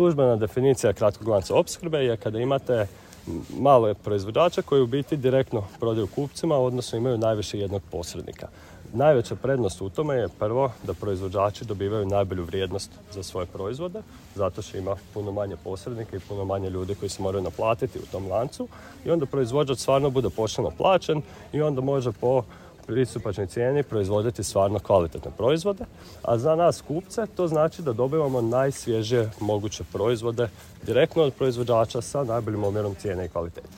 službena definicija kratkog lanca opskrbe je kada imate male proizvođače koji u biti direktno prodaju kupcima, odnosno imaju najviše jednog posrednika. Najveća prednost u tome je prvo da proizvođači dobivaju najbolju vrijednost za svoje proizvode, zato što ima puno manje posrednika i puno manje ljudi koji se moraju naplatiti u tom lancu i onda proizvođač stvarno bude pošteno plaćen i onda može po pristupačnoj cijeni proizvoditi stvarno kvalitetne proizvode, a za nas kupce to znači da dobivamo najsvježije moguće proizvode direktno od proizvođača sa najboljim omjerom cijene i kvalitete.